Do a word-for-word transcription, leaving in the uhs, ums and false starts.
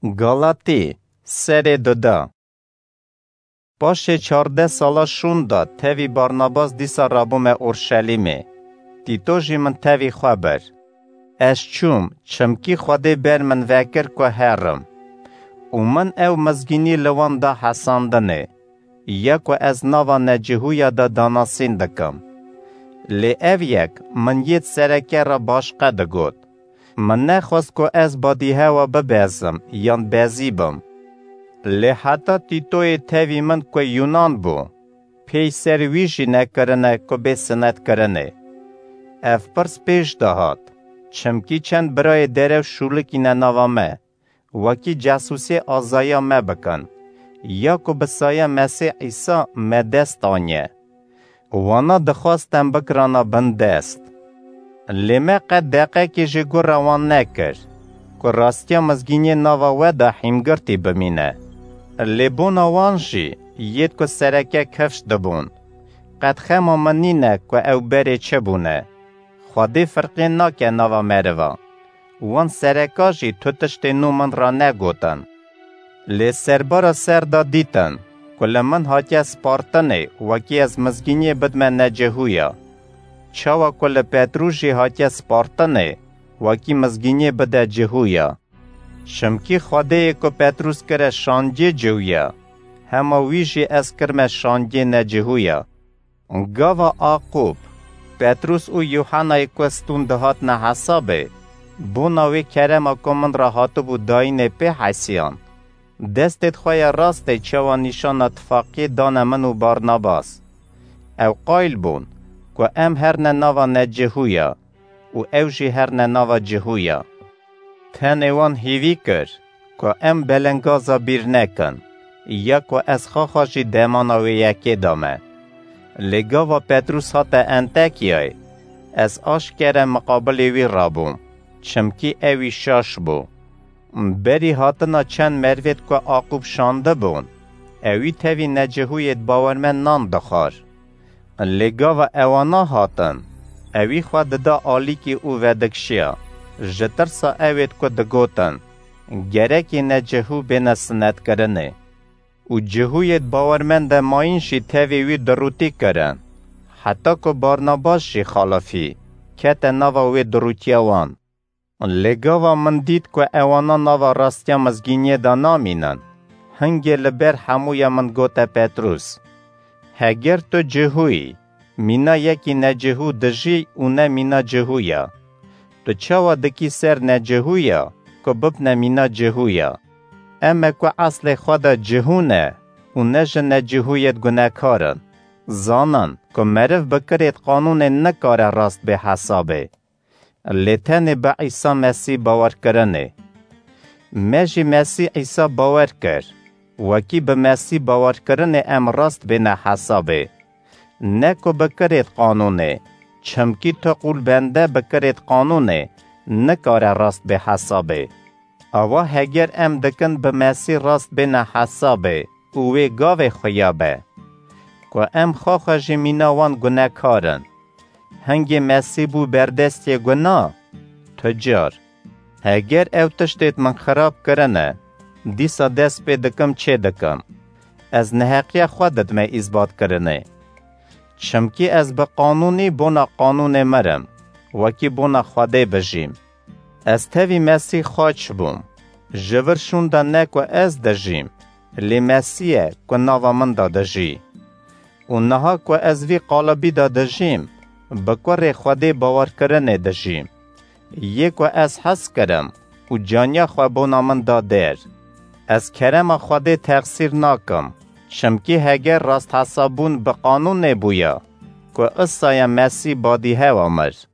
Galatî, serê duda. Paşê çardeh sala şûnda tevî Barnabas dîsa rabûme Orşelîmê. Tîto jî min tevî xwe bir. Ez çûm, çimkî Xwedê ber min vekir ku herim. Û min ew mizgînî li wan da hesandinê, ya ku ez nava necihûya de danasîn dikim. Lê ev yek min yêd sereke re başqe digot. Min nexwest ku ez badîhewa bibezim yan bezî bim. Lê heta Tîtoyê tevî min ku Yunan bû, pêy ser wî jî nekirine ku bê sinetkirinê. Ev pirs pêş de hat, çimkî çend birayê derew şûlikîne nava me, wekî casûsê azaya me bikin, ya ku bi saya Mesîh Îsa me dest aniye. Wana dixwast em bikirana bin dest. Lê me qet deqekê jî gura wan nekir, ku rastiya mizgîniyê nava we de hîmgirtî bimîne. Lê bona wan jî yêd ku sereke kifş dibûn. Qet xema min nîne ku ew berê çi bûne. Xwedê firqê nake nava meriva. Wan sereka jî tu tiştê nû min re negotin. Lê serbara ser de dîtin ku li min hatiye spartinê, wekî ez mizgîniyê bidme necihûya. Çawa ku li Petrûs jî hatiye spartinê, wekî mizgîniyê bide cihûya. Çimkî Xwedêyê ku Petrûs kire şandiyê cihûya, hema wî jî ez kirme şandiyê necihûya. Gava Aqûb, Petrûs û Yûhenayê ku stûn dihatine hesabê, bona wê kerema ku min re hatibû dayînê pê hesiyan. Destêd xwe ya rastê çawa nîşana tifaqiyê dane min û Barnabas. Ew qayil bûn ku em herne nava necihûya û ew jî herne nava cihûya. Tenê wan hîvî kir ku em belengaza bîr nekin, ya ku ez xaxa jî demana wê yekê dame. Lê gava Petrûs hate Entekiyayê, ez aşkere miqabilê wî rabûm, çimkî ewî şaş bû. Berî hatina çend mervêd ku Aqûb şandibûn, ewî tevî necihûyêd bawermend nan dixwar. Lê gava ewana hatin, ewî xwe dida alîkî û vedikşiya, ji tirsa ewêd ku digotin, gerekê necihû bêne sinetkirinê. Û cihûyêd bawermende mayîn jî tevê wî dirûtî kirin, heta ku Barnabas jî xalifî, kete nava wê dirûtiya wan. Lê gava min dît ku ewana nava rastiya mizgîniyê de namînin, hingê li ber hemûya min gote Petrûs, Heger tu cihû yî, mîna yekî necihû dijî û ne mîna cihû ya. Tu çawa dikî ser necihû ya ku bibne mîna cihû ya? Em e ku eslê xwe de cihû ne û ne ji necihûyêd gunekar in. Zanin ku meriv bi kirêd qanûnê nikare rast bê hesabê. Lê tenê bi Îsa Mesîh bawerkirinê. Me jî Mesîh Îsa bawer kir, wekî bi Mesîh bawerkirinê em rast bêne hesabê. Ne ku bi kirêd qanûnê, çimkî tu qûl bende bi kirêd qanûnê nikare rast bê hesabê. Awa heger em dikin bi Mesîh rast bêne hesabê û wê gavê xuya be, ku em xwe xwe jî mîna wan gunekar in. Hingê Mesîh bû berdestê guna? Tu car. Heger ew tiştêd min xirab kirine, dîsa dest pê dikim çê dikim. Ez neheqiya xwe didime îsbatkirinê. Çimkî ez bi qanûnî bona qanûnê mirim, wekî bona Xwedê bijîm. Ez tevî Mesîh xaç bûm. Ji vir şûnda ne ku ez dijîm, lê Mesîh e ku nava min de dijî. Û niha ku ez vî qalibî de dijîm, bi kurê Xwedê bawerkirinê dijîm. Yê ku ez hez kirim û caniya xwe bona min da der. Ez kerema Xwedê texsîr nakim, çimkî heger rasthesabûn bi qanûnê bûya, ku isaya Mesîh badîhewa mir.